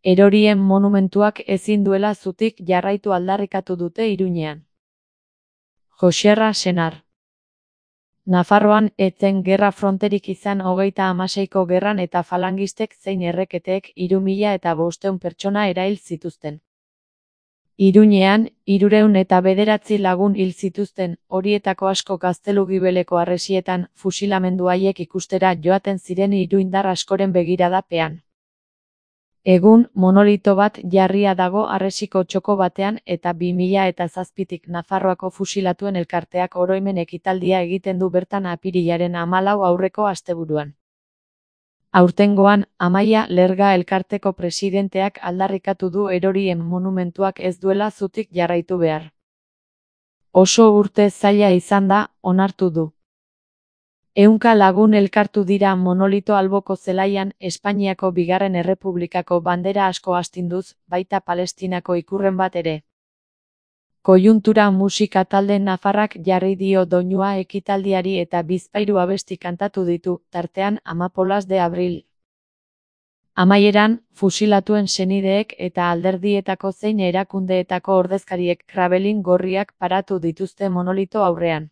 Erorien monumentuak ezin duela zutik jarraitu aldarrikatu dute Iruñean. Joxerra Senar. Nafarroan ez zen gerra fronterik izan 36ko gerran eta falangistek zein erreketeek 3500 pertsona erail zituzten. Iruñean, 309 lagun hil zituzten, horietako asko Gaztelu-Gibeleko harresietan fusilamendu haiek ikustera joaten ziren iruindar askoren begiradapean. Egun, monolito bat jarria dago harresiko txoko batean eta 2007tik Nafarroako fusilatuen elkarteak oroimen ekitaldia egiten du bertan apirilaren 14 aurreko asteburuan. Aurtengoan, Amaia Lerga elkarteko presidenteak aldarrikatu du erorien monumentuak ez duela zutik jarraitu behar. Oso urte zaila izan da, onartu du. 100 lagun elkartu dira monolito alboko zelaian Espainiako Bigarren Errepublikako bandera asko astinduz, baita Palestinako ikurren bat ere. Koiuntura musika talde nafarrak jarri dio doinua ekitaldiari eta bizpahiru abesti kantatu ditu, tartean Amapolas de Abril. Amaieran, fusilatuen senideek eta alderdietako zein erakundeetako ordezkariek krabelin gorriak paratu dituzte monolito aurrean.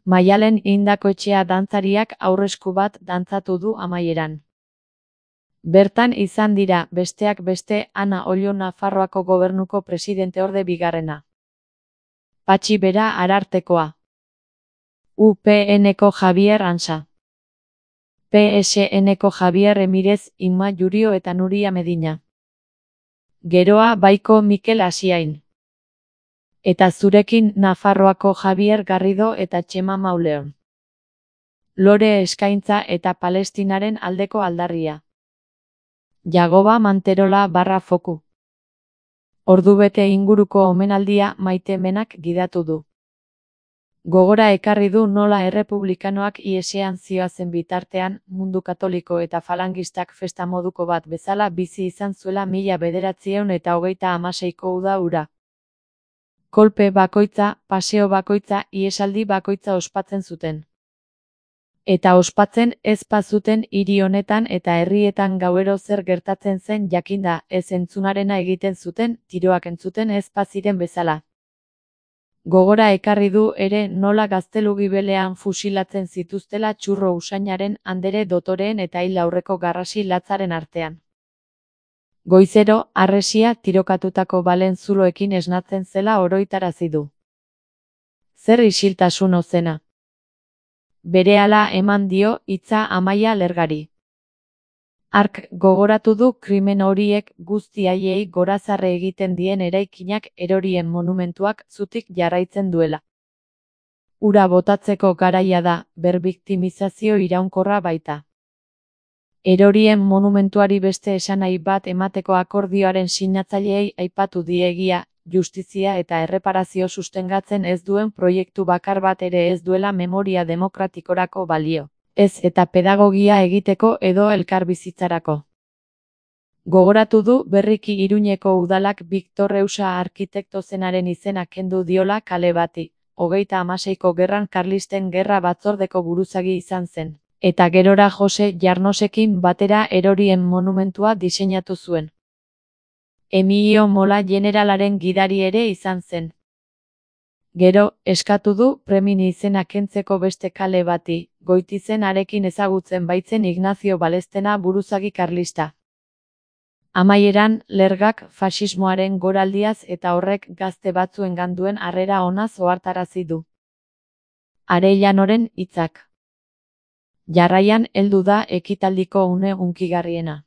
Maialen Indakoetxea dantzariak aurresku bat dantzatu du amaieran. Bertan izan dira, besteak beste, Ana Ollo Nafarroako gobernuko presidenteorde bigarrena. Patxi Bera Arartekoa. UPNko Javier Ansa. PSNko Javier Emirez, Inma Jurio eta Nuria Medina. Geroa Baiko Mikel Asiain. Eta zurekin Nafarroako Javier Garrido eta Txema Mauleon. Lore eskaintza eta Palestinaren aldeko aldarria. Jagoba Manterola /foku. Ordubete inguruko omenaldia Maite Menak gidatu du. Gogora ekarri du nola errepublikanoak ihesean zihoazen bitartean, mundu katoliko eta falangistak festa moduko bat bezala bizi izan zuela 1926ko uda hura. Kolpe bakoitza, paseo bakoitza, ihesaldi bakoitza ospatzen zuten. Eta ospatzen ez bazuten hiri honetan eta herrietan gauero zer gertatzen zen jakinda, ez entzunarena egiten zuten, tiroak entzuten ez baziren bezala. Gogora ekarri du ere nola Gaztelu-Gibelean fusilatzen zituztela txurro usainaren, andere dotoreen eta hil aurreko garrasi latzaren artean. Goizero, harresia tirokatutako balen zuloekin esnatzen zela oroitarazi du. Zer isiltasun ozena. Berehala eman dio hitza Amaia Lergari. Hark gogoratu du krimen horiek guzti haiei gorazarre egiten dien eraikinak erorien monumentuak zutik jarraitzen duela. Ura botatzeko garaia da, berbiktimizazio iraunkorra baita. Erorien monumentuari beste esanahi bat emateko akordioaren sinatzaileei aipatu die egia, justizia eta erreparazio sustengatzen ez duen proiektu bakar bat ere ez duela memoria demokratikorako balio, ez eta pedagogia egiteko edo elkarbizitzarako. Gogoratu du berriki Iruñeko udalak Victor Reusa arkitekto zenaren izena kendu diola kale bati, 36ko gerran Karlisten gerra batzordeko buruzagi izan zen. Eta gerora Jose Jarnosekin batera erorien monumentua diseinatu zuen. Emilio Mola generalaren gidari ere izan zen. Gero, eskatu du Premin izena kentzeko beste kale bati, Goitizen arekin ezagutzen baitzen Ignacio Balestena buruzagi karlista. Amaieran, Lergak faxismoaren goraldiaz eta horrek gazte batzuengan duen harrera onaz ohartarazi du. Arellanoren hitzak. Jarraian heldu da ekitaldiko une hunkigarriena.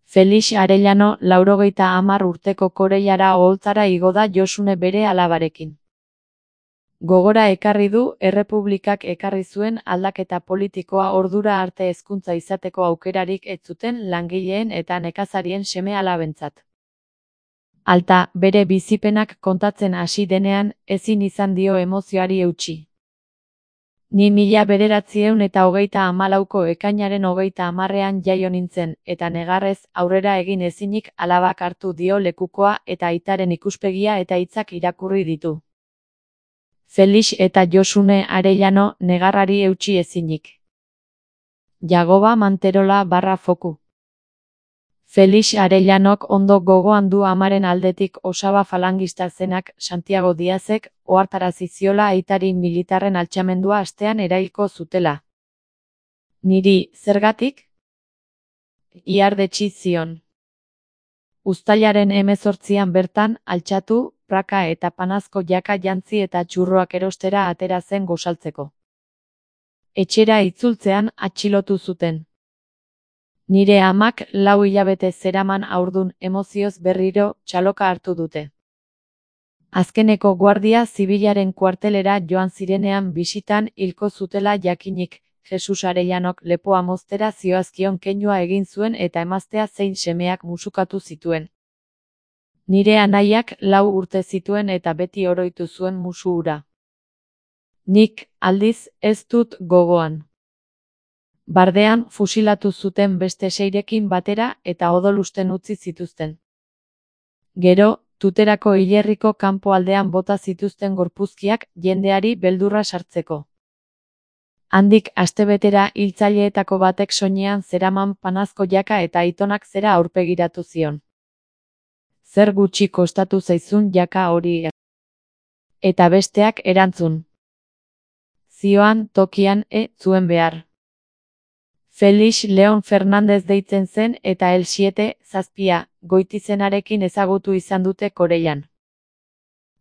Felix Arellano 90 urteko Koreiara oholtzara igo da Josune bere alabarekin. Gogora ekarri du errepublikak ekarri zuen aldaketa politikoa ordura arte hezkuntza izateko aukerarik ez zuten langileen eta nekazarien seme-alabentzat. Alta, bere bizipenak kontatzen hasi denean, ezin izan dio emozioari eutsi. Ni 1934ko ekainaren 30ean jaio nintzen, eta negarrez aurrera egin ezinik alabak hartu dio lekukoa eta aitaren ikuspegia eta hitzak irakurri ditu. Felix eta Josune Arellano negarrari eutsi ezinik. Jagoba Manterola /foku. Felix Arellanok ondo gogoan du amaren aldetik osaba falangista zenak Santiago Diazek ohartarazi ziola aitari militarren altxamendua astean erailko zutela. Niri, zergatik? Ihardetsi zion. Uztailaren 18an bertan, altxatu, praka eta panazko jaka jantzi eta txurroak erostera atera zen gosaltzeko. Etxera itzultzean atxilotu zuten. Nire amak 4 hilabete zeraman haurdun emozioz berriro txaloka hartu dute. Azkeneko guardia zibilaren kuartelera joan zirenean bisitan hilko zutela jakinik, Jesus Arellanok lepoa moztera zioazkion keinua egin zuen eta emaztea zein semeak musukatu zituen. Nire anaiak 4 urte zituen eta beti oroitu zuen musu hura. Nik, aldiz, ez dut gogoan. Bardean fusilatu zuten beste 6rekin batera eta odolusten utzi zituzten. Gero, Tuterako hilerriko kanpoaldean bota zituzten gorpuzkiak jendeari beldurra sartzeko. Handik astebetera hiltzaileetako batek soinean zeraman panazko jaka eta aitonak zera aurpegiratu zion. Zer gutxi kostatu zaizun jaka hori? Eta besteak erantzun. Zioan tokian zuen behar. Felix Leon Fernandez deitzen zen eta El 7, goitizenarekin ezagutu izan dute Koreian.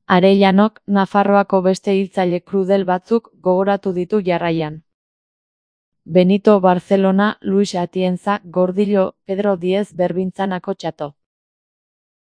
Arellanok Nafarroako beste hiltzaile krudel batzuk gogoratu ditu jarraian. Benito Barcelona, Luis Atienza, Gordillo, Pedro Diez Berbintzanako Txato.